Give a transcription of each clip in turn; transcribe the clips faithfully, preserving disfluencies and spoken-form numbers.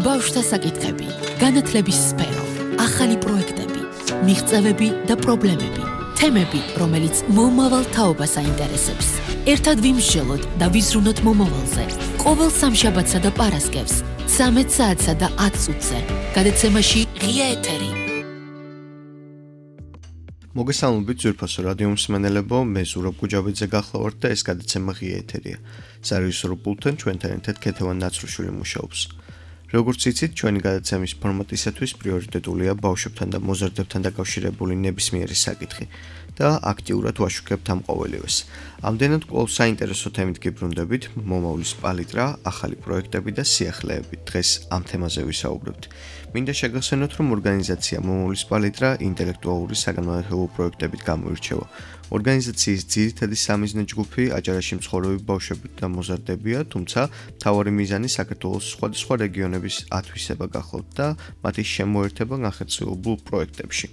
ბავშვთა საკითხები, განათლების სფერო, ახალი პროექტები, მიღწევები და პრობლემები, თემები, რომელიც მომავალ თაობას აინტერესებს. ერთად ვიმსჯელოთ და ვიზრუნოთ მომავალზე. ყოველ სამშაბათსა და პარასკევს, ცამეტ საათსა და ათ წუთზე. გადაცემაში ღია ეთერი. მოგესალმებით ძვირფასო რადიო მსმენელებო, მე ზურაბ გუჯავიძე გახლავართ და ეს გადაცემა ღია ეთერია. სარეჟისორო პულტთან ჩვენთან ერთად ქეთევან ნაცრუშვილი მუშაობს. როგორც იცით, ჩვენი გადაცემის ფორმატისათვის პრიორიტეტულია ბავშვებთან და მოზარდებთან დაკავშირებული ნებისმიერი საკითხი და აქტიურად ვაშუქებთ ამ ყოველივეს. ამდენად კვლავ საინტერესო თემით გიბრუნდებით, მომავლის პალიტრა, ახალი პროექტები და სიახლეები. დღეს ამ თემაზე ვისაუბრებთ. მინდა შეგახსენოთ, რომ ორგანიზაცია მომავლის პალიტრა ინტელექტუალური საგანმანათლებლო პროექტებით გამოირჩევა. ორგანიზაციის ძირითადი სამიზნე ჯგუფი აჭარაში მცხოვრები ბავშვები და მოზარდებია, თუმცა მთავარი მიზანი საქართველოს სხვადასხვა რეგიონების ათვისება გახლავთ და მათი შემოერთება განხორციელებულ პროექტებში.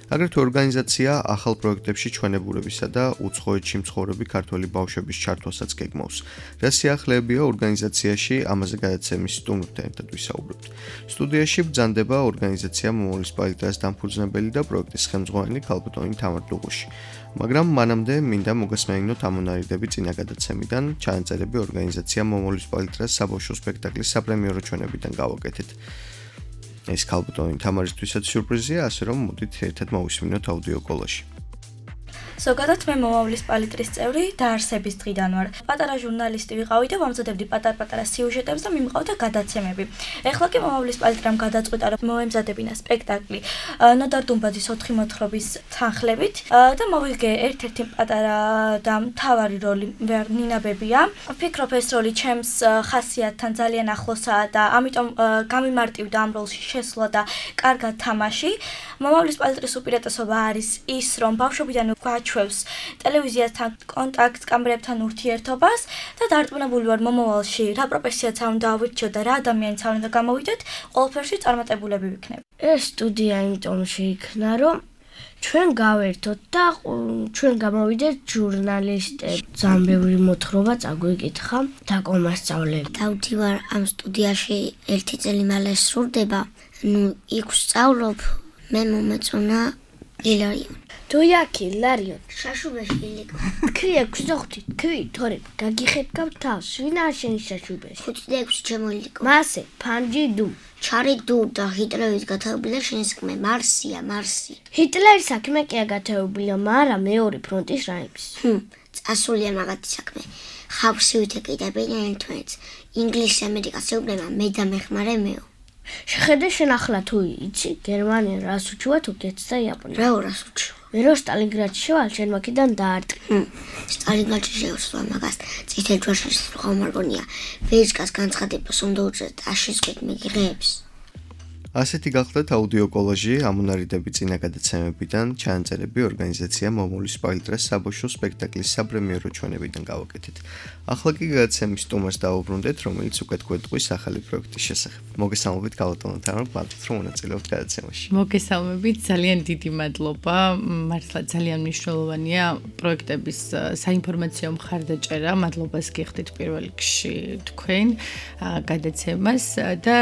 აგრეთვე ორგანიზაცია ახალ პროექტებში ჩვენებურებისა და უცხოეთში მცხოვრები ქართველი ბავშვების ჩართვასაც გეგმავს. რა სიახლეებია ორგანიზაციაში, ამაზე გადაცემის სტუმრთან ერთად ვისაუბრებთ. სტუდიაში ბრძანდება ორგანიზაცია მომავლის პალიტრას დამფუძნებელი და პროექტის ხელმძღვანელი ქალბატონი თამარ დუღუში. მაგრამ მანამდე მინდა მოგესმენინოთ ამონარიდები წინა გადაცემიდან, ჩანაწერები ორგანიზაცია მომავლის პალიტრას საბავშვო სპექტაკლის საპრემიერო ჩვენებიდან გავაკეთეთ. ეს ქალბატონი თამარისთვისაც სიურპრიზია, ასე რომ მოდით ერთად მოვისმინოთ აუდიო კოლაჟი. ზოგადად მე მომავლის პალიტრის წევრი დაარსების დღიდან ვარ. პატარა ჟურნალისტი ვიყავი და ვამზადებდი პატარ-პატარა სიუჟეტებს და მიმყავდა გადაცემები. ეხლა კი მომავლის პალიტრამ გადაწყვიტა, რომ მოემზადებინა სპექტაკლი ნოდარ დუმბაძის ოთხი მოთხრობის თანხლებით და მოვიგე ერთ-ერთი პატარა და მთავარი როლი ნინა ბებია. ვფიქრობ, ეს როლი ჩემს ხასიათთან ძალიან ახლოსაა და ამიტომ გამიმარტივდა ამ როლში შესვლა და კარგად თამაში. მომავლის პალიტრის უპირატესობა არის ის, რომ ბავშვობიდან გვაჩვევს ტელევიზიასთან კონტაქტს, კამერებთან ურთიერთობას და დარწმუნებული ვარ, მომავალში რა პროფესიაც არ უნდა ავირჩიოთ და რა ადამიანიც არ უნდა გამოვიდეთ, ყველაფერში წარმატებულები ვიქნებით. ეს სტუდია იმიტომ შეიქმნა, რომ ჩვენ გავერთოთ და ჩვენ გამოვიდეთ ჟურნალისტები. ძალიან ბევრი მოთხრობა წაგვიკითხა და კომასწავლები. დავდივარ ამ სტუდიაში ერთი წელი მალე სრულდება. ნუ იქ ვსწავლობ, მე მომეწონა ილარიონ. თუ იაკი ლარიონ შაშუბეში ილიკო. თქვი ექვსი და ხუთი, თქვი თორე გაგიხეთქავ თავს, ვინ არ შენი შაშუბეში? ხუთი და ექვსი შემოილიკო. მასე ფანჯი დუ. ჩარი დუ და ჰიტლერის გათაობილი შენი საქმე მარსია, მარსი. ჰიტლერის საქმე კი აგათაობილია, მაგრამ მეორე ფრონტის რაიმის. ჰმ, წასულია მაგათი საქმე. ხავსი ვითეკიდებიან ერთმანეთს. ინგლისს ამერიკას ეუბნება მე და მეხმარე მეო. შეხედე შენ ახლა თუ იცი გერმანია რას უჩუა თურქეთს და იაპონიას. რა რას უჩუა? მე რო სტალინგრადში შევალ შენ მაქედან დაარტყი. სტალინგრადში შევსვა მაგას წითელ ჯვარში ხომარგონია. ვეჯკას განცხადებას უნდა უწევთ აშისკვით მიგიღებს. ასეთი გახლდათ აუდიო კოლაჟი ამონარიდები წინა გადაცემებიდან, ჩანაწერები ორგანიზაცია მომავლის პალიტრას საბავშვო სპექტაკლის საპრემიერო ჩვენებიდან გავაკეთეთ. ახლა კი გადაცემის სტუმარს დავუბრუნდეთ, რომელიც უკვე გვეტყვის ახალი პროექტის შესახებ. მოგესალმებით ქალბატონო თამარ, მადლობთ რომ მონაწილეობთ გადაცემაში. მოგესალმებით, ძალიან დიდი მადლობა. მართლა ძალიან მნიშვნელოვანია პროექტების საინფორმაციო მხარდაჭერა. მადლობას გიხდით პირველ რიგში თქვენ გადაცემას და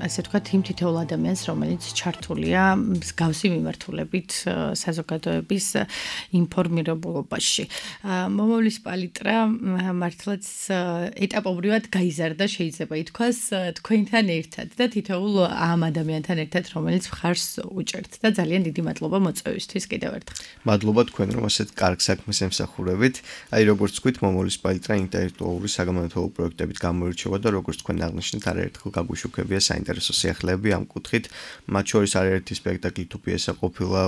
ასე ვთქვათ იმ თითოეულ ადამიანს, რომელიც ჩართულია მსგავსი მიმართულებით საზოგადოების ინფორმირებულობაში. მომავლის პალიტრა მართლაც ეტაპობრივად გაიზარდა, შეიძლება ითქვას, თქვენთან ერთად და თითოეულ ამ ადამიანთან ერთად, რომელიც მხარს უჭერთ და ძალიან დიდი მადლობა მოწვევისთვის კიდევ ერთხელ. მადლობა თქვენ, რომ ასეთ კარგ საქმეს ემსახურებით. აი როგორც თქვით, მომავლის პალიტრა ინტელექტუალური საგანმანათლებლო პროექტებით გამოირჩევა და როგორც თქვენ აღნიშნეთ, არაერთხელ გაგვიშუქებია საინტერესო სიახლეები ამ კუთხით. მათ შორის არაერთი სპექტაკლი თუ პიესა ყოფილა,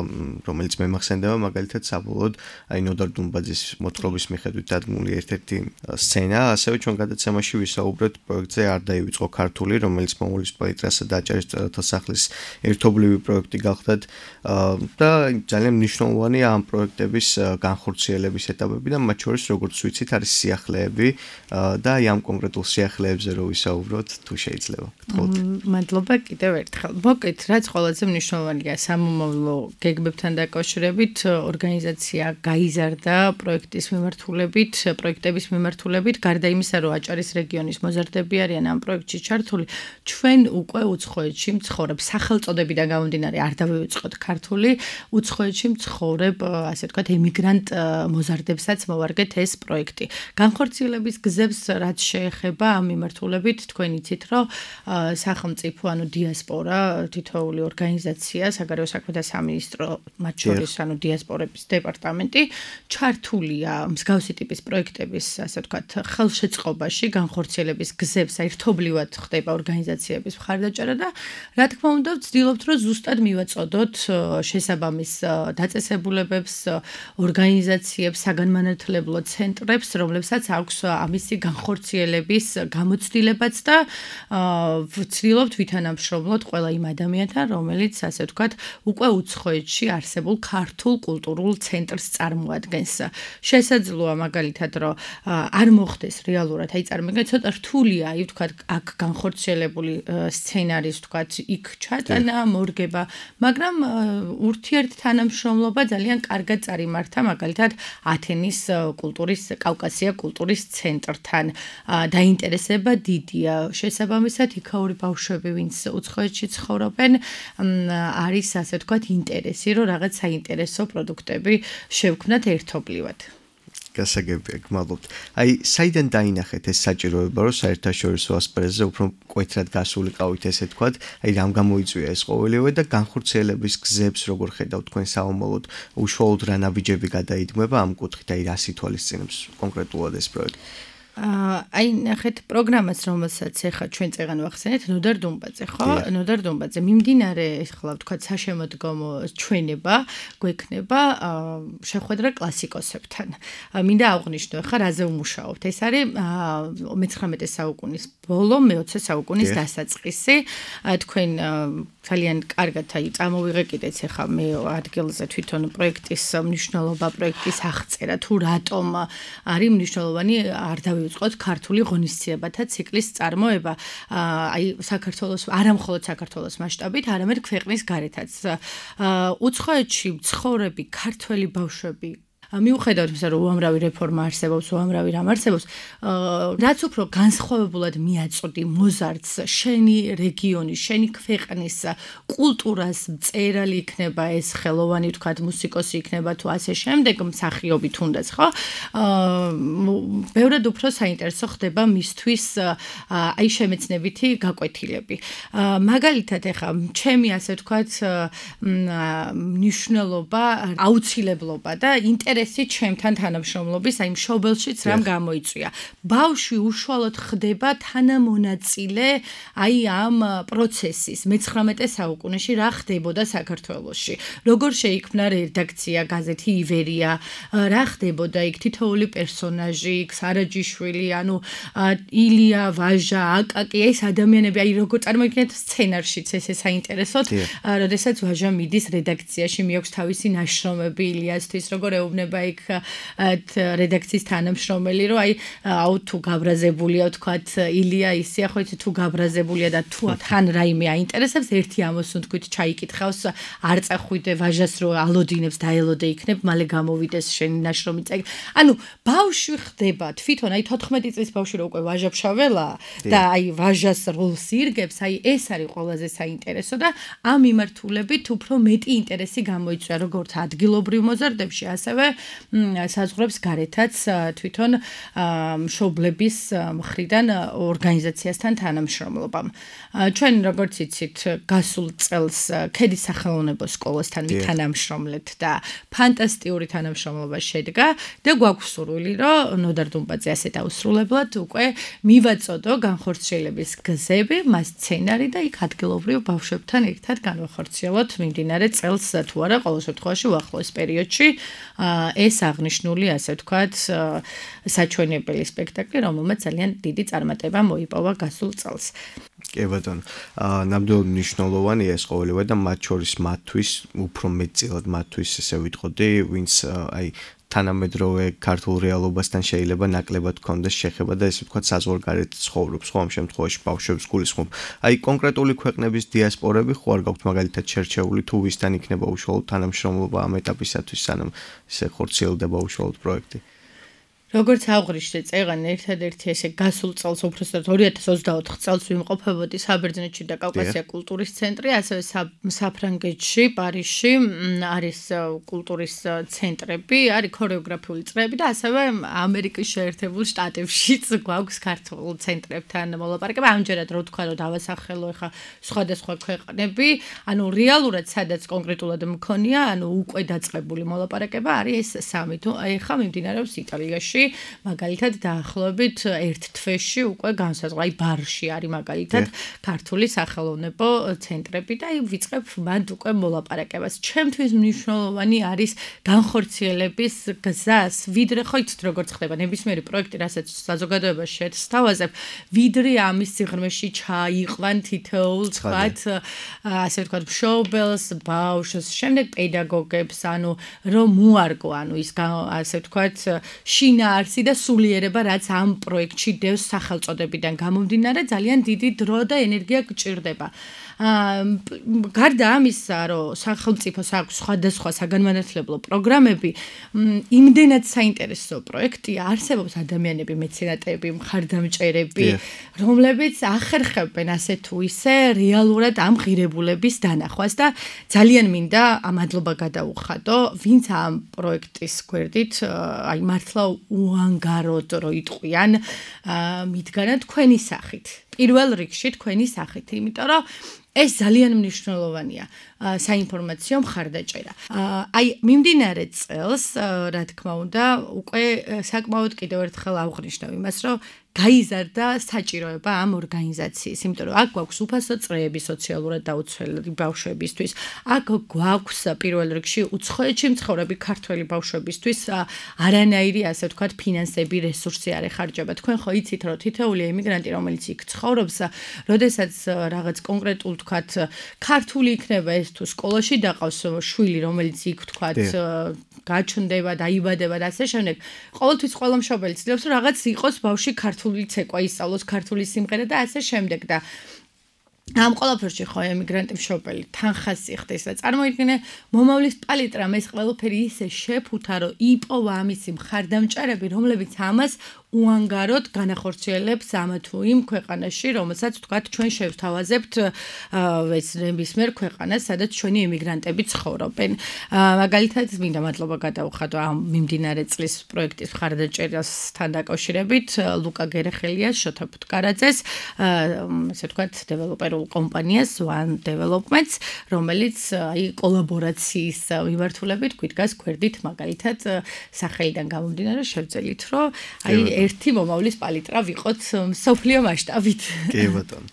რომელიც მე მახსენდება, მაგალითად საბოლოოდ აი ნოდარ დუმბაძის მოთხრობის მიხედვით დადგმული ერთ-ერთი სცენა, ასევე ჩვენ გადაცემაში ვისაუბრეთ პროექტზე არ დაივიწყო ქართული, რომელიც მომავლის პალიტრასა და აჭარის მწერალთა სახლის ერთობლივი პროექტი გახლდათ და ძალიან მნიშვნელოვანია ამ პროექტების განხორციელების ეტაპები და მათ შორის როგორც ვიცით არის სიახლეები და აი ამ კონკრეტულ სიახლეებზე რო ვისაუბროთ, თუ შეიძლება. გთხოვთ. მადლობა, კიდევ ერთხელ. მოკლედ, რაც ყველაზე მნიშვნელოვანია სამომავლო გეგმებთან დაკავშირებით, ორგანიზაცია გაიზარდა პროექტის მიმართულებით, პროექტების მიმართულებით, გარდა იმისა, რომ აჭარის რეგიონის მოზარდები არიან ამ პროექტში ჩართული, ჩვენ უკვე უცხოეთში მცხოვრებ სახელწოდებიდან გამომდინარე არ დავივიწყოთ ქართული, უცხოეთში მცხოვრებ, ასე ვთქვათ, ემიგრანტ მოზარდებსაც მოვარგეთ ეს პროექტი. განხორციელების გზებს რაც შეეხება ამ მიმართულებით, თქვენ იცით, რომ სახელმწიფო, ანუ დიასპორა, თითოეული ორგანიზაცია, საგარეო საქმეთა სამინისტრო, მათ შორის, ანუ დიასპორების დეპარტამენტი, ჩართულია მსგავსი ტიპის პროექტების, ასე ვთქვათ, ხელშეწყობაში, განხორციელების გზებს ერთობლივად ხდება ორგანიზაციების მხარდაჭერა და რა თქმა უნდა, ვცდილობთ, რომ ზუსტად მივაწოდოთ შესაბამის დაწესებულებებს, ორგანიზაციებს, საგანმანათლებლო ცენტრებს, რომლებსაც აქვს ამისი განხორციელების გამოცდილებაც და ვცდილობთ ვითანამშრომლოთ ყველა იმ ადამიანთან, რომელიც, ასე ვთქვათ, უკვე უცხოეთში არსებულ ქართულ კულტურულ ცენტრს წარმოადგენს. შესაძლოა მაგალითად, რომ არ მოხდეს რეალურად, აი წარმოგიდგენთ, ცოტა რთულია, აი ვთქვათ, აქ განხორციელებული სცენარის, ვთქვათ, იქ ჩატანა, მორგება, მაგრამ ურთიერთ თანამშრომლობა ძალიან კარგად წარიმართა, მაგალითად, ათენის კულტურის, კავკასია კულტურის ცენტრთან. დაინტერესება დიდია. შესაბამისად, იქაური ბავშვები, ვინც უცხოეთში ცხოვრობენ, არის, ასე ვთქვათ, ინტერესი, რომ რაღაც საინტერესო პროდუქტები შევქმნათ ერთობლივად. გასაგებია, გმადლობთ. აი, საიდან დაინახეთ ეს საჭიროება, რომ საერთაშორისო ასპარეზზე უფრო მკვეთრად გასულიყავით, ესე ვთქვათ, აი, რამ გამოიწვია ეს ყოველივე და განხორციელების გზებს როგორ ხედავთ თქვენ საომოლოდ, უშუალოდ რა ნაბიჯები გადაიდგმება ამ კუთხით, აი, რას ითვალისწინებს კონკრეტულად ეს პროექტი? აი ნახეთ პროგრამას, რომელსაც ეხლა ჩვენ წეგან ვახსენეთ, ნოდარ დუმბაძე, ხო? ნოდარ დუმბაძე. მიმდინარე ახლა ვთქვათ საშემოდგომო ჩვენება გვექნება შეხვედრა კლასიკოსებთან. მინდა აღვნიშნო ახლა რაზე ვმუშაობთ. ეს არის მეცხრამეტე საუკუნის ბოლო, მეოცე საუკუნის დასაწყისი. თქვენ ძალიან კარგად აი წამოვიღე კიდეც ახლა მე ადგილზე თვითონ პროექტის მნიშვნელობა, პროექტის აღწერა, თუ რატომ არის მნიშვნელოვანი არ დავიწყოთ ქართული ღონისძიებათა ციკლის წარმოება. აი საქართველოს, არა მხოლოდ საქართველოს მასშტაბით, არამედ ქვეყნის გარეთაც. უცხოეთში მცხოვრები ქართველი ბავშვები მიუხედავად იმისა, რომ უამრავი რეფორმა არსებობს, უამრავი რამ არსებობს, რაც უფრო განსხვავებულად მიაწოდი მოზარდს, შენი რეგიონის, შენი ქვეყნის კულტურას მწერალი იქნება ეს ხელოვანი, ვთქვათ, მუსიკოსი იქნება თუ ასე შემდეგ, მსახიობი თუნდაც, ხო? ბევრად უფრო საინტერესო ხდება მისთვის აი შემეცნებითი გაკვეთილები. მაგალითად, ეხა ჩემი ასე ვთქვათ, მნიშვნელობა, აუცილებლობა და ინტერესი ჩემთან თანამშრომლობის, აი მშობელშიც რამ გამოიწვია. ბავშვი უშუალოდ ხდება თანამონაწილე აი ამ პროცესის მეცხრამეტე საუკუნეში რა ხდებოდა საქართველოში. როგორ შეიქმნა რედაქცია გაზეთი ივერია, რა ხდებოდა იქ თითოეული პერსონაჟი, იქ სარაჯიშვილი, ანუ ილია, ვაჟა, აკაკი, ეს ადამიანები, აი როგორ წარმოგიდგენთ სცენარშიც ესე საინტერესოდ, როდესაც ვაჟა მიდის რედაქციაში, მიაქვს თავისი ნაშრომები ილიასთვის, როგორ ეუბნება იქ რედაქციის თანამშრომელი, რომ აი აუ თუ გაბრაზებულია, ვთქვათ, ილია ისია, ხო იცი თუ გაბრაზებულია და თუ თან რაიმე აინტერესებს, ერთი ამოსუნთქვით ჩაიკითხავს, არ წახვიდე ვაჟას, რომ ალოდინებს დაელოდე იქნებ, მალე გამოვიდეს შენი ნაშრომი წაიგ. ანუ ბავშვი ხდება თვითონ, აი თოთხმეტი წლის ბავშვი რო უკვე ვაჟაფშაველა და აი ვაჟას როლს ირგებს, აი ეს არის ყველაზე საინტერესო და ამ მიმართულებით უფრო მეტი ინტერესი გამოიწვია როგორც ადგილობრივ მოზარდებში, ასევე საზღვრებს გარეთაც თვითონ მშობლების მხრიდან ორგანიზაციასთან თანამშრომლობამ. ჩვენ როგორც იცით, გასულ წელს ქედის სახელოვნებო სკოლასთან ვითანამშრომლეთ და ფანტასტიკური თანამშრომლობა შედგა და გვაქვს სურვილი, რომ ნოდარ დუმბაძე ასე დაუსრულებლად უკვე მივაწოდო განხორციელების გზები, მას სცენარი და იქ ადგილობრივ ბავშვებთან ერთად განვახორციელოთ მიმდინარე წელს თუ არა, ყოველ შემთხვევაში უახლოეს პერიოდში ეს აღნიშნული, ასე ვთქვათ, საჩვენებელი სპექტაკლი, რომელმაც ძალიან დიდი წარმატება მოიპოვა გასულ წელს. კი ბატონო, ნამდვილად მნიშვნელოვანია ეს ყოველივე და მათ შორის მათთვის, უფრო მეტწილად მათთვის ესე ვიტყოდი, ვინც აი თანამედროვე ქართულ რეალობასთან შეიძლება ნაკლებად გქონდეს შეხება და ესე ვთქვათ საზღვარგარეთ ცხოვრობს, ხო, ამ შემთხვევაში ბავშვებს გულისხმობ. აი კონკრეტული ქვეყნების დიასპორები ხო არ გაქვთ მაგალითად შერჩეული თუ ვისთან იქნება უშუალოდ თანამშრომლობა ამ ეტაპისათვის, სანამ ესე ხორციელდება უშუალოდ პროექტი. როგორც აღვნიშნე წეგან ერთადერთი ესე გასულ წელს უბრალოდ ორი ათას ოცდაოთხ წელს ვიმყოფებოდი საბერძნეთში და კავკასია კულტურის ცენტრი, ასევე საფრანგეთში, პარიზში არის კულტურის ცენტრები, არის ქორეოგრაფიული წრეები და ასევე ამერიკის შეერთებულ შტატებშიც გვაქვს ქართულ ცენტრებთან მოლაპარაკება. ამჯერად რო თქვა რომ დავასახელო ახლა სხვადასხვა ქვეყნები, ანუ რეალურად სადაც კონკრეტულად მქონია, ანუ უკვე დაწყებული მოლაპარაკება არის ეს სამი. თუ ახლა მიმდინარეობს იტალიაში მაგალითად დაახლოებით ერთ თვეში უკვე განსაზღვრა, აი ბარში არის მაგალითად ქართული სახელოვნებო ცენტრები და აი ვიწყებ მათ უკვე მოლაპარაკებას. ჩემთვის მნიშვნელოვანი არის განხორციელების გზას, ვიდრე ხო იცით როგორც ხდება ნებისმიერი პროექტი, რასაც საზოგადოებაში შეესთავაზებ, ვიდრე ამის სიღრმეში ჩაიყვან თითოეულ თქვათ, ასე ვთქვათ, მშობელს, ბავშვს, შემდეგ პედაგოგებს, ანუ რომ მოარგო, ანუ ის ასე ვთქვათ, შინა არსი და სულიერება, რაც ამ პროექტში დევს სახელწოდებიდან გამომდინარე, ძალიან დიდი დრო და ენერგია გჭირდება. გარდა ამისა, რომ სახელმწიფოს აქვს სხვადასხვა საგანმანათლებლო პროგრამები, იმდენად საინტერესო პროექტია, არსებობს ადამიანები, მეცენატები, მხარდამჭერები, რომლებიც ახერხებენ ასე თუ ისე რეალურად ამ ღირებულების დანახვას და ძალიან მინდა მადლობა გადაუხადო, ვინც ამ პროექტის გვერდით, აი მართლა უანგაროდ რო იტყვიან, მიდგანა თქვენი სახით. პირველ რიგში თქვენი სახით, იმიტომ რომ ეს ძალიან მნიშვნელოვანია საინფორმაციო მხარდაჭერა. აი მიმდინარე წელს, რა თქმა უნდა, უკვე საკმაოდ კიდევ ერთხელ ავღნიშნავ იმას, რომ გაიზარდა საჭიროება ამ ორგანიზაციის, იმიტომ რომ აქ გვაქვს უფასო წრეები სოციალურად დაუცველი ბავშვებისთვის. აქ გვაქვს პირველ რიგში უცხოეთში მცხოვრები ქართველი ბავშვებისთვის არანაირი, ასე ვთქვათ, ფინანსები, რესურსი არ ეხარჯება. თქვენ ხო იცით, რომ თითოეული ემიგრანტი, რომელიც იქ ცხოვრობს, როდესაც რაღაც კონკრეტულ ვთქვათ, ქართული იქნება ეს თუ სკოლაში დაყავს შვილი, რომელიც იქ ვთქვათ, გაჩნდება, დაიბადება და ასე შემდეგ. ყოველთვის ყველა მშობელი ცდილობს, რომ რაღაც იყოს ბავშვი ქართული ცეკვა ისწავლოს, ქართული სიმღერა და ასე შემდეგ და ამ ყველაფერში ხო ემიგრანტი მშობელი თანხას იხდეს და წარმოიდგინე მომავლის პალიტრამ ეს ყველაფერი ისე შეფუთა, რომ იპოვა ამისი მხარდამჭერები, რომლებიც ამას უანგაროდ განახორციელებს ამ თუ იმ ქვეყანაში, რომელსაც ვთქვათ ჩვენ შევთავაზებთ ეს ნებისმიერ ქვეყანას, სადაც ჩვენი ემიგრანტები ცხოვრობენ. მაგალითად, მინდა მადლობა გადაუხადო ამ მიმდინარე წლის პროექტის მხარდაჭერასთან დაკავშირებით ლუკა გერეხელიას, შოთა ფუტკარაძეს, ესე ვთქვათ, დეველოპერულ კომპანიას One Developments, რომელიც აი კოლაბორაციის მიმართულებით გვიდგას გვერდით, მაგალითად, სახელიდან გამომდინარე შევძელით, რომ აი ერთი მომავლის პალიტრა ვიყოთ სოფლიო მასშტაბით. კი ბატონო.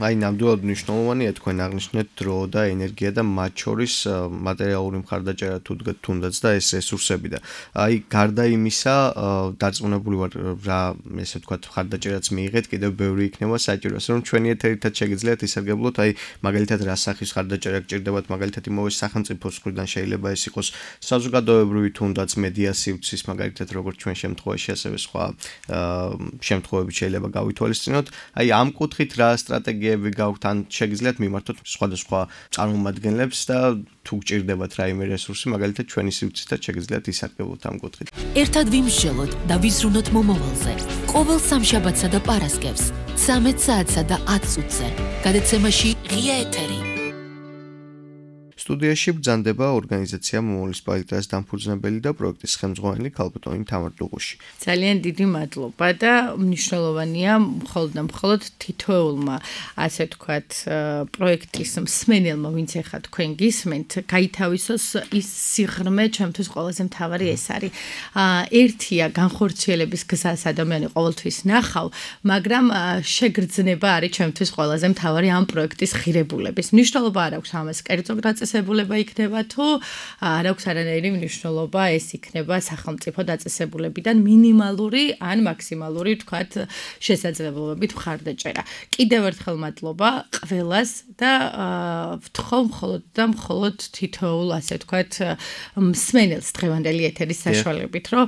აი ნამდვილად მნიშვნელოვანია თქვენ აღნიშნეთ დრო და ენერგია და მათ შორის მატერიალური მხარდაჭერა თუნდაც და ეს რესურსები და აი გარდა იმისა დარწმუნებული ვარ რა ესე ვთქვათ მხარდაჭერაც მიიღეთ, კიდევ ბევრი იქნება საჭირო, ასე რომ ჩვენი ეთერითაც შეგიძლიათ ისარგებლოთ, აი მაგალითად რა სახის მხარდაჭერა გჭირდებათ, მაგალითად იმავე სახელმწიფოს მხრიდან შეიძლება ეს იყოს საზოგადოებრივი თუნდაც მედია სივრცის, მაგალითად როგორც ჩვენ შემთხვევაში ასევე სხვა შემთხვევები შეიძლება გავითვალისწინოთ. აი ამ კუთხით რა სტრატეგიები გაქვთ, ან შეგიძლიათ მიმართოთ სხვადასხვა წარმომადგენლებს და თუ გჭირდებათ რაიმე რესურსი, მაგალითად ჩვენი სივრცითაც შეგიძლიათ ისარგებლოთ ამ კუთხით. ერთად ვიმსჯელოთ და ვიზრუნოთ მომავალზე. ყოველ სამშაბათსა და პარასკევს ცამეტ საათსა და ათ წუთზე. გადაცემაში ღია ეთერი. სტუდიაში ბრძანდება ორგანიზაცია მომავლის პალიტრას დამფუძნებელი და პროექტის ხელმძღვანელი ქალბატონი თამარ დუღუში. ძალიან დიდი მადლობა და მნიშვნელოვანია მხოლოდ და მხოლოდ თითოეულმა, ასე ვთქვათ, პროექტის მსმენელმა, ვინც ახლა თქვენ გისმენთ, გაითავისოს ის სიღრმე, ჩემთვის ყველაზე მთავარი ეს არის. ერთია განხორციელების გზას ადამიანი ყოველთვის ნახავ, მაგრამ შეგრძნება არის ჩემთვის ყველაზე მთავარი ამ პროექტის ღირებულების. მნიშვნელობა არ აქვს ამას კერძო გრაწესებებს დაწესებულება იქნება თუ არ აქვს არანაირი მნიშვნელობა ეს იქნება სახელმწიფო დაწესებულებიდან მინიმალური ან მაქსიმალური თქვათ შესაძლებლობებით მხარდაჭერა. კიდევ ერთხელ მადლობა ყველას და ვთხოვ მხოლოდ და მხოლოდ თითოეულ ასე თქვათ მსმენელს დღევანდელი ეთერის საშუალებით რომ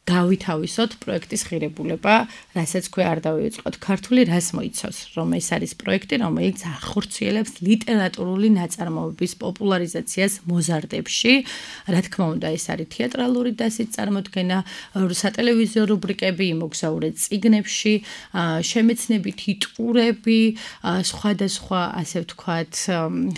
გავითავისოთ პროექტის ღირებულება, რასაც ქვე არ დავიწყოთ ქართული, რას მოიცავს, რომ ეს არის პროექტი, რომელიც ახორციელებს ლიტერატურული ნაწარმოებების პოპულარიზაციას მოზარდებში. რა თქმა უნდა, ეს არის თეატრალური დასით წარმოდგენა, სატელევიზიო რუბრიკები, იმოგზაურე წიგნებში, შემეცნებითი ტურები, სხვადასხვა, ასე ვთქვათ,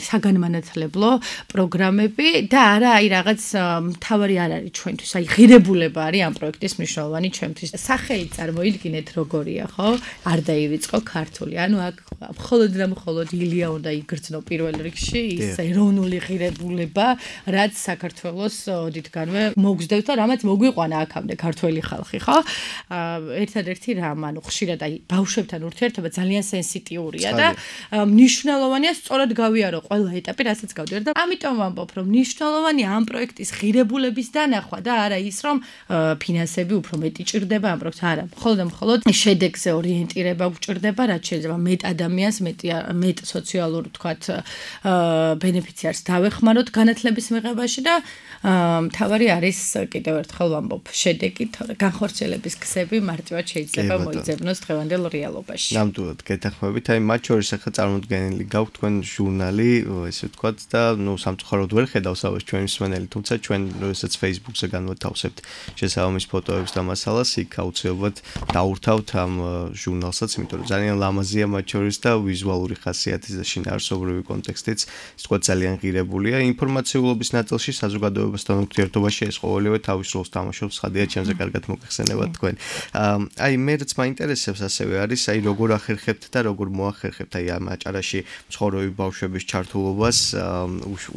საგანმანათლებლო პროგრამები და არა აი რაღაც მთავარი არ არის ჩვენთვის, აი ღირებულება არის ამ პროექტის ის მნიშვნელოვანი ჩვენთვის. სახელი წარმოიდგინეთ როგორია, ხო? არ დაივიწყო ქართული. ანუ აქ მხოლოდ და მხოლოდ ილია უნდა იგრძნო პირველ რიგში ის ეროვნული ღირებულება, რაც საქართველოს ოდითგანვე მოგზდევს და რამაც მოგვიყვანა აქამდე ქართველი ხალხი, ხო? ერთადერთი რამ, ანუ ხშირად აი ბავშვებთან ურთიერთობა ძალიან სენსიტიურია და მნიშვნელოვანია სწორად გავიარო ყველა ეტაპი, რასაც გავდივარ და ამიტომ ვამბობ, რომ მნიშვნელოვანია ამ პროექტის ღირებულების დანახვა და არა ის, რომ ფინანსები უფრო მეტი ჭირდება ამ პროექტს. არა, მხოლოდ და მხოლოდ შედეგზე ორიენტირება გვჭირდება, რაც შეიძლება მეტ ადამიანს, მეტ მეტ სოციალურ თქვათ ბენეფიციარს დავეხმაროთ განათლების მიღებაში და მთავარი არის კიდევ ერთხელ ვამბობ, შედეგი, თორე განხორციელების გზები მარტივად შეიძლება მოიძებნოს დღევანდელ რეალობაში. ნამდვილად გეთანხმებით, აი მათ შორის ახლა წარმოდგენილი გაქვთ თქვენ ჟურნალი, ესე ვთქვათ და ნუ სამწუხაროდ ვერ ხედავს ავეს ჩვენი მსმენელი, თუმცა ჩვენ როდესაც Facebook-ზე განვათავსებთ შესაბამის ფოტოებს და მასალას, იქ აუცილებლად დაურთავთ ამ ჟურნალსაც, იმიტომ რომ ძალიან ლამაზია მათ შორის და ვიზუალური ხასიათის და შინაარსობრივი კონტექსტიც, ის თქვა ძალიან ღირებულია. ინფორმაციულობის ნაწილში საზოგადოებასთან ურთიერთობაში ეს ყოველივე თავის როლს თამაშობს, ხადია ჩემზე კარგად მოგეხსენებათ თქვენ. აი მე რაც მაინტერესებს ასევე არის, აი როგორ ახერხებთ და როგორ მოახერხებთ აი ამ აჭარაში მცხოვრები ბავშვების ჩართულობას,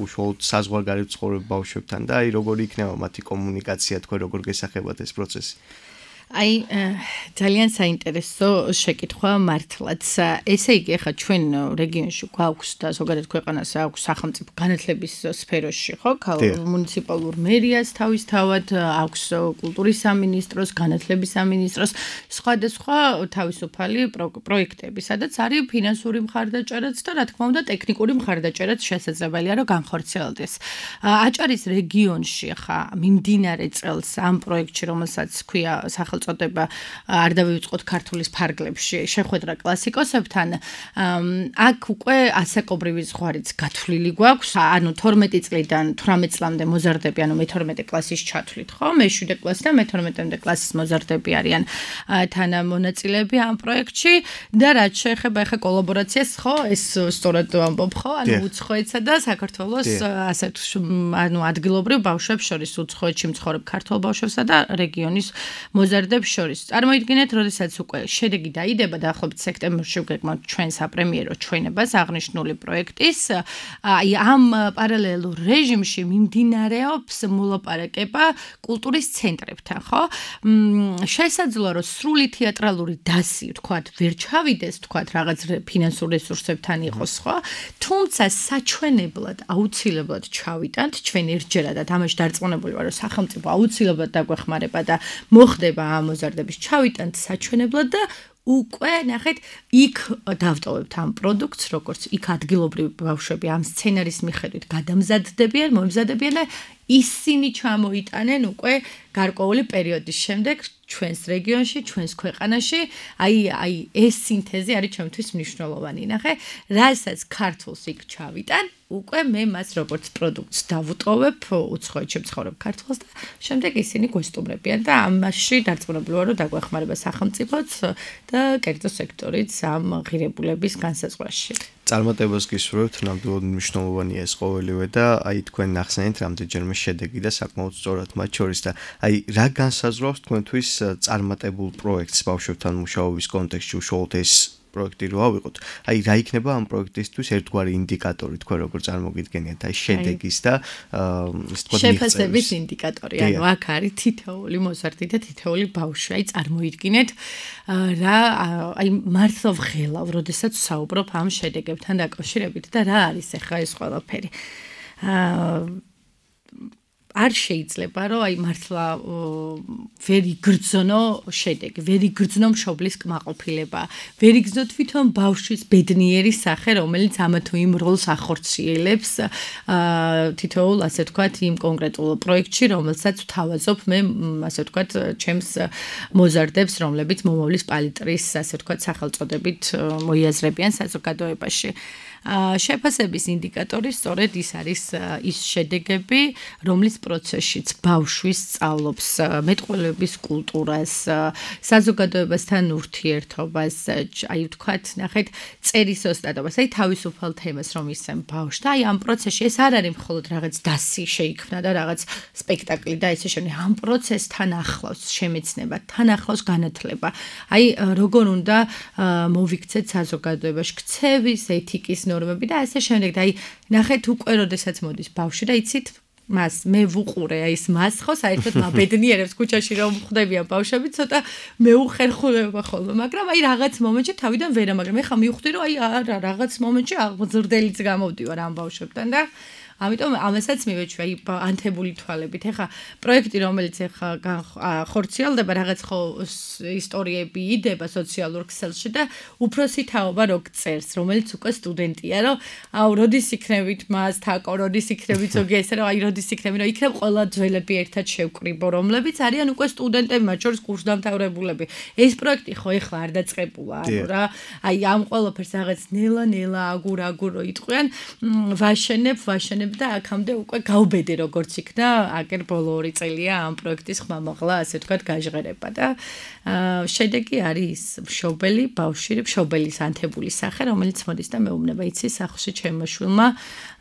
უშუალოდ საზღვარგარეთ მცხოვრებ ბავშვებთან და აი როგორი იქნება მათი კომუნიკაცია, თქვენ როგორ გესახებათ ეს პროცესი? აი ძალიან საინტერესო შეკითხვა მართლაც. ესე იგი, ახლა ჩვენ რეგიონში გვაქვს და ზოგადად ქვეყანას აქვს სახელმწიფო განათლების სფეროში, ხო? მუნიციპალურ მერიას თავისთავად აქვს კულტურის სამინისტროს, განათლების სამინისტროს, სხვადასხვა თავისუფალი პროექტები, სადაც არის ფინანსური მხარდაჭერაც და რა თქმა უნდა ტექნიკური მხარდაჭერაც შესაძლებელია, რომ განხორციელდეს. აჭარის რეგიონში ახლა მიმდინარე წელს ამ პროექტში, რომელსაც ქვია სახელმწიფო წოდება არ დავივიწყოთ ქართულის ფარგლებში შეხვედრა კლასიკოსებთან აქ უკვე ასაკობრივი ზღვარიც გათვლილი გვაქვს ანუ თორმეტი წლიდან თვრამეტ წლამდე მოზარდები ანუ მეთორმეტე კლასის ჩათვლით ხო მეშვიდე კლასი და მეთორმეტე კლასის მოზარდები არიან თანამონაწილეები ამ პროექტში და რაც შეეხება ახლა კოლაბორაციას ხო ეს სწორად ვამბობ ხო ანუ უცხოეთსა და საქართველოს ასეთ ანუ ადგილობრივ ბავშვებს შორის უცხოეთში მცხოვრებ ქართულ ბავშვებსა და რეგიონის მოზარდ შორის. წარმოიდგინეთ, როდესაც უკვე შედეგი დაიდება დაახლოებით სექტემბერში ვგეგმავთ ჩვენ საპრემიერო ჩვენებას აღნიშნული პროექტის, აი ამ პარალელურ რეჟიმში მიმდინარეობს მოლაპარაკება კულტურის ცენტრებთან, ხო? შესაძლოა რომ სრული თეატრალური დასი, თქვათ, ვერ ჩავიდეს, თქვათ, რაღაც ფინანსურ რესურსებთან იყოს, ხო? თუმცა საჩვენებლად აუცილებლად ჩავიტანთ ჩვენ ერთჯერად და ამაში დარწმუნებული ვარ, რომ სახელმწიფო აუცილებლად დაგვეხმარება და მოხდება მოზარდების ჩავიტანთ საჩვენებლად და უკვე ნახეთ იქ დავტოვებთ ამ პროდუქტს როგორც იქ ადგილობრივი ბავშვები ამ სცენარის მიხედვით გადამზადდებიან, მომზადებიან და ისინი ჩამოიტანენ უკვე გარკვეული პერიოდის შემდეგ ჩვენს რეგიონში, ჩვენს ქვეყანაში, აი აი ეს სინთეზი არის ჩემთვის მნიშვნელოვანი. ნახე, რასაც ქართულს იქ ჩავიტან, უკვე მე მას როგორც პროდუქტს დავუტოვებ უცხოეთში მცხოვრებ ქართველს და შემდეგ ისინი გვესტუმრებიან და ამაში დარწმუნებული ვარ, რომ დაგვეხმარება სახელმწიფოც და კერძო სექტორიც ამ ღირებულების განსაზღვრაში. წარმატებას გისურვებთ, ნამდვილად მნიშვნელოვანია ეს ყოველივე და აი თქვენ ნახსენეთ რამდენჯერმე შედეგი და საკმაოდ სწორად მათ შორის და აი რა განსაზღვრავს თქვენთვის წარმატებულ პროექტს ბავშვებთან მუშაობის კონტექსტში უშუალოდ ეს პროექტი რო ავიღოთ. აი რა იქნება ამ პროექტისთვის ერთგვარი ინდიკატორი თქვენ როგორ წარმოგიდგენიათ აი შედეგის და ის თქვა შეფასების ინდიკატორი. ანუ აქ არის თითოეული მოზარდი და თითოეული ბავშვი. აი წარმოიდგინეთ რა აი მართლა ვღელავ, როდესაც საუბრობ ამ შედეგებთან დაკავშირებით და რა არის ახლა ეს ყველაფერი. არ შეიძლება რომ აი მართლა ვერ იგრძნო შედეგი, ვერ იგრძნო მშობლის კმაყოფილება, ვერ იგრძნო თვითონ ბავშვის ბედნიერი სახე, რომელიც ამა თუ იმ როლს ახორციელებს თითოეულ, ასე ვთქვათ, იმ კონკრეტულ პროექტში, რომელსაც ვთავაზობ მე, ასე ვთქვათ, ჩემს მოზარდებს, რომლებიც მომავლის პალიტრის, ასე ვთქვათ, სახელწოდებით მოიაზრებიან საზოგადოებაში. შეფასების ინდიკატორი სწორედ ის არის ის შედეგები, რომლის პროცესშიც ბავშვის სწავლობს მეტყველების კულტურას, საზოგადოებასთან ურთიერთობას, აი ვთქვათ, ნახეთ, წერის ოსტატობას, აი თავისუფალ თემას რომ ისემ ბავშვს და აი ამ პროცესში ეს არ არის მხოლოდ რაღაც დასი შეიქმნა და რაღაც სპექტაკლი და ესე შემდეგ, ამ პროცესთან ახლავს შემეცნება, თან ახლავს განათლება. აი როგორ უნდა მოვიქცეთ საზოგადოებაში ქცევის, ეთიკის ნორმები და ასე შემდეგ და აი ნახეთ უკვე როდესაც მოდის ბავშვი და იცით მას მე ვუყურე აი ეს მას ხო საერთოდ მაბედნიერებს ქუჩაში რომ ხვდებიან ბავშვები ცოტა მეუხერხულება ხოლმე მაგრამ აი რაღაც მომენტში თავიდან ვერა მაგრამ ეხა მივხვდი რომ აი არა რაღაც მომენტში აღზრდელიც გამოვდივარ ამ ბავშვებთან და ამიტომ ამასაც მივეჩვია აი ანთებული თვალებით. ეხა პროექტი რომელიც ეხა ხორციელდება რაღაც ხო ისტორიები იდება სოციალურ ქსელში და უფროსი თაობა რო წერს, რომელიც უკვე სტუდენტია, რომ აუ როდის იქნებით მას თაკო, როდის იქნებით ზოგი ესე რომ აი როდის იქნები, რომ იქნებ ყველა ძველები ერთად შევკრიბო, რომლებიც არიან უკვე სტუდენტები, მათ შორის კურსდამთავრებულები. ეს პროექტი ხო ეხლა არ დაწყებულა, ანუ რა, აი ამ ყველაფერს რაღაც ნელა-ნელა აგურ-აგურ რო იტყვიან, ვაშენებ, ვაშენებ და აქამდე უკვე გავბედე როგორც იქნა აკერ ბოლო ორი წელია ამ პროექტის ხმამაღლა ასე ვთქვათ გაჟღერება და შედეგი არის მშობელი ბავშვი მშობელის ანთებული სახე რომელიც მოდის და მეუბნება იცი სახლში ჩემმა შვილმა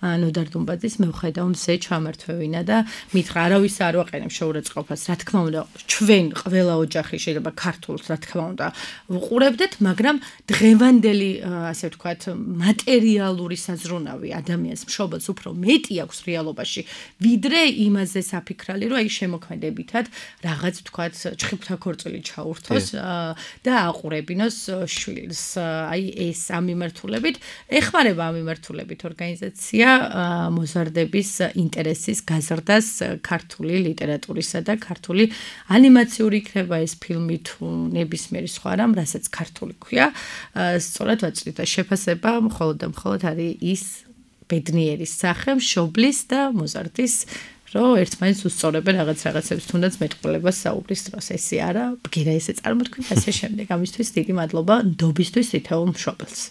ნოდარ დუმბაძის მევხედავ მზე ჩამართვევინა და მითხრა არავის არ ვაყენებ შეურაცხყოფას რა თქმა უნდა ჩვენ ყველა ოჯახი შეიძლება ქართულს რა თქმა უნდა ვუყურებდეთ მაგრამ დღევანდელი ასე ვთქვათ მატერიალური საზრუნავი ადამიანს მშობელს უფრო მეტი აქვს რეალობაში ვიდრე იმაზე საფიქრალი რომ აი შემოქმედებითად რაღაც ვთქვათ ჩხიფთა ქორწილი ჩაურთოს და აყურებინოს შვილს აი ეს ამ მიმართულებით ეხმარება ამ მიმართულებით ორგანიზაცია მოზარდების ინტერესის გაზრდას ქართული ლიტერატურისა და ქართული ანიმაციური იქნება ეს ფილმი თუ ნებისმიერი სხვა რამ რასაც ქართული ქვია სწორად ვაწვდით და შეფასება მხოლოდ და მხოლოდ არის ის ბედნიერის სახე მშობლის და მოზარდის რომ ერთმანეთს უსწორებენ რაღაც რაღაცებს თუნდაც მეტყველებას საუბრის დროს ესე არა ბგერა ესე წარმოთქვით ასე შემდეგ ამისთვის დიდი მადლობა ნდობისთვის თითოეულ მშობელს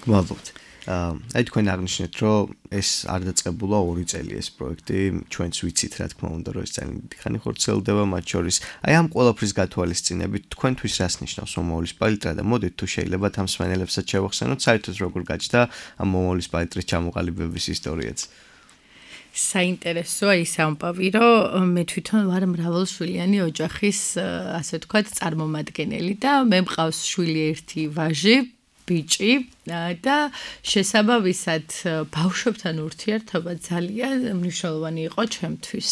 გმადლობთ აი თქვენ აღნიშნეთ რომ ეს არ დაწყებულა ორი წელი ეს პროექტი ჩვენც ვიცით რა თქმა უნდა რომ ეს ძალიან დიდი ხანი ხორციელდება მათ შორის აი ამ ყველაფრის გათვალისწინებით თქვენთვის რას ნიშნავს მომავლის პალიტრა და მოდით თუ შეიძლება ამ მსმენელებსაც შევახსენოთ საერთოდ როგორ გაჩნდა ამ მომავლის პალიტრის ჩამოყალიბების ისტორიაც საინტერესოა ის ამბავი, რომ მე თვითონ ვარ მრავალშვილიანი ოჯახის, ასე ვთქვათ, წარმომადგენელი და მე მყავს შვილი ერთი ვაჟი, ბიჭი და შესაბამისად ბავშვებთან ურთიერთობა ძალიან მნიშვნელოვანი იყო ჩემთვის.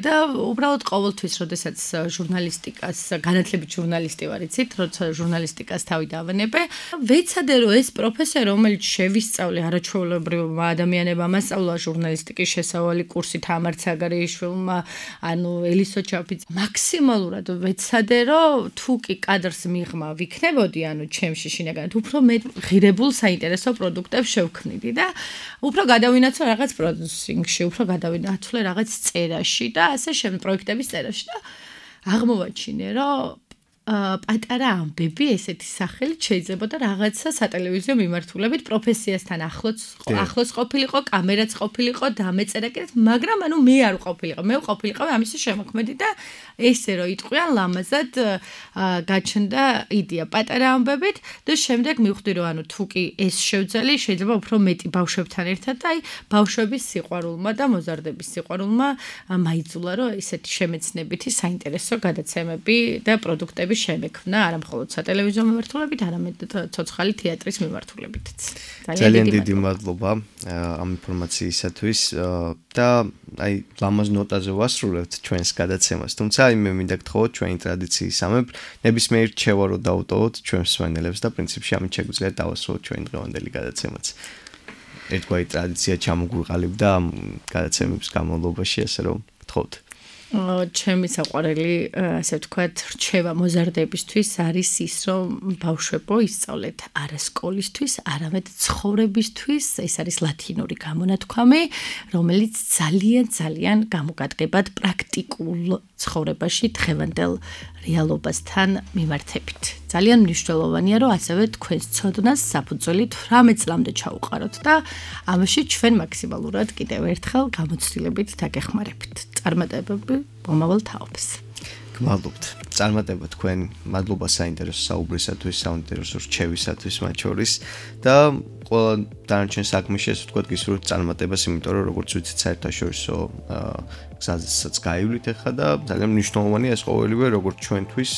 და უბრალოდ ყოველთვის, როდესაც ჟურნალისტიკას, განათლებით ჟურნალისტი ვარ, იცით, როცა ჟურნალისტიკას თავი დავანებე, ვეცადე რომ ეს პროფესია, რომელიც შევისწავლე არაჩვეულებრივმა ადამიანებმა, მასწავლა ჟურნალისტიკის შესავალი კურსი თამარ ცაგარეიშვილმა, ანუ ელისო ჩაფიც, მაქსიმალურად ვეცადე რომ თუ კი კადრს მიღმა ვიქნებოდი, ანუ ჩემში შინაგანად უფრო მე ღირებულ საინტერესო პროდუქტებს შევქმნიდი და უფრო გადავინაცვლე რაღაც პროდიუსინგში, უფრო გადავინაცვლე რაღაც წერაში და ასე შემდეგ პროექტების წერაში და აღმოვაჩინე, რომ პატარა ამბები ესეთი სახელით შეიძლება და რაღაცა სატელევიზიო მიმართულებით პროფესიასთან ახლოს ახლოს ყოფილიყო, კამერაც ყოფილიყო, დამეწერა კიდე, მაგრამ ანუ მე არ ვყოფილიყო, მე ვყოფილიყო ამისი შემოქმედი და ესე რომ იტყვიან ლამაზად გაჩნდა იდეა პატარა ამბებით და შემდეგ მივხვდი რომ ანუ თუ კი ეს შევძელი შეიძლება უფრო მეტი ბავშვებთან ერთად და აი ბავშვების სიყვარულმა და მოზარდების სიყვარულმა მაიძულა რომ ესეთი შემეცნებითი საინტერესო გადაცემები და პროდუქტები შემექმნა არა მხოლოდ სატელევიზიო მიმართულებით, არამედ ცოცხალი თეატრის მიმართულებითაც. ძალიან დიდი მადლობა ამ ინფორმაციისათვის და აი ლამაზ ნოტაზე ვასრულებთ ჩვენს გადაცემას. თუმცა აი მე მინდა გთხოვოთ ჩვენი ტრადიციისამებრ ნებისმიერ რჩევა რომ დავუტოვოთ ჩვენს მსმენელებს და პრინციპში ამით შეგვიძლია დავასრულოთ ჩვენი დღევანდელი გადაცემაც. ერთგვარი ტრადიცია ჩამოგვიყალიბდა ამ გადაცემების განმავლობაში, ასე რომ გთხოვთ. ჩემი საყვარელი, ასე ვთქვათ, რჩევა მოზარდებისთვის არის ის, რომ ბავშვებო ისწავლეთ არა სკოლისთვის, არამედ ცხოვრებისთვის. ეს არის ლათინური გამონათქვამი, რომელიც ძალიან ძალიან გამოგადგებად პრაქტიკულ ცხოვრებაში დღევანდელ რეალობასთან მიმართებით. ძალიან მნიშვნელოვანია, რომ ასევე თქვენს ცოდნას საფუძველი თვრამეტ წლამდე ჩაუყაროთ და ამაში ჩვენ მაქსიმალურად კიდევ ერთხელ გამოცდილებით დაგეხმარებით. წარმატებები მომავალ თაობას. გმადლობთ. წარმატება თქვენ, მადლობა საინტერესო საუბრისათვის, საინტერესო რჩევისათვის მათ შორის და ყველა დანარჩენ საქმეში ასე ვთქვათ გისურვებთ წარმატებას, იმიტომ რომ როგორც ვიცით საერთაშორისო გზაზეც გაივლით ახლა და ძალიან მნიშვნელოვანია ეს ყოველივე როგორც ჩვენთვის,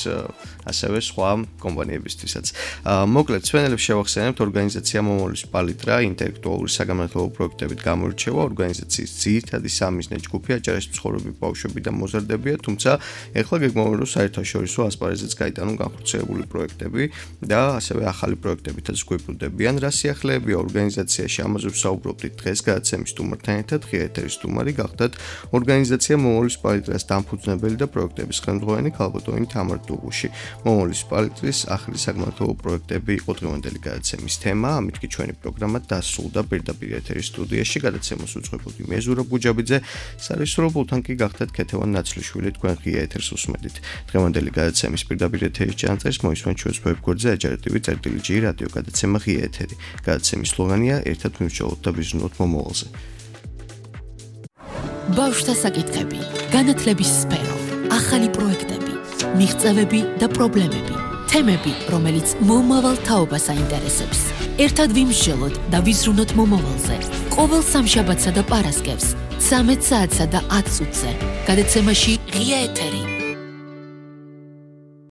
ასევე სხვა კომპანიებისთვისაც. მოკლედ, სვენელებს შევახსენებთ ორგანიზაცია მომავლის პალიტრა ინტელექტუალური საგანმანათლებლო პროექტებით გამორჩევა ორგანიზაციის ძირითადი სამიზნე ჯგუფი აჭარის მცხოვრები ბავშვები და მოზარდებია, თუმცა ახლა გეგმავენ რომ საერთაშორისო ასპარეზეც გაიტანონ განხორციელებული პროექტები და ასევე ახალი პროექტებითაც გვიბრუნდებიან. რა სიახლეებია ორგანიზაციაში ამაზე ვსაუბრობდით დღეს გადაცემის სტუმართან ერთად, ღია ეთერის სტუმარი გახდათ ორგანიზაცია მომავლის პალიტრას დამფუძნებელი და პროექტების ხელმძღვანელი ქალბატონი თამარ დუღუში. მომავლის პალიტრის ახალი საგანმანათლებლო პროექტები იყო დღევანდელი გადაცემის თემა, ამით კი ჩვენი პროგრამა დასრულდა პირდაპირ ეთერის სტუდიაში. გადაცემას უძღვებოდი მე ზურაბ გუჯაბიძე, სარისრობულთან კი გახდათ ქეთევან ნაცლიშვილი, თქვენ ღია ეთერს უსმენთ. დღევანდელი გადაცემის პირდაპირ ეთერის ჩანაწერს მოისმენთ ჩვენს ვებგვერდზე აჯარეთივი წერტილი ჯი რადიო გადაცემა ღია ეთერი. გადაცემის სლოგანია ერთად მივსჯელოთ და ვიზრუნოთ მომავალზე. ბავშვთა საკითხები, განათლების სფერო, ახალი პროექტები, მიღწევები და პრობლემები, თემები, რომელიც მომავალ თაობას აინტერესებს. ერთად ვიმსჯელოთ და ვიზრუნოთ მომავალზე. ყოველ სამშაბათსა და პარასკევს, ცამეტ საათსა და ათ წუთზე. გადაცემაში ღია ეთერი.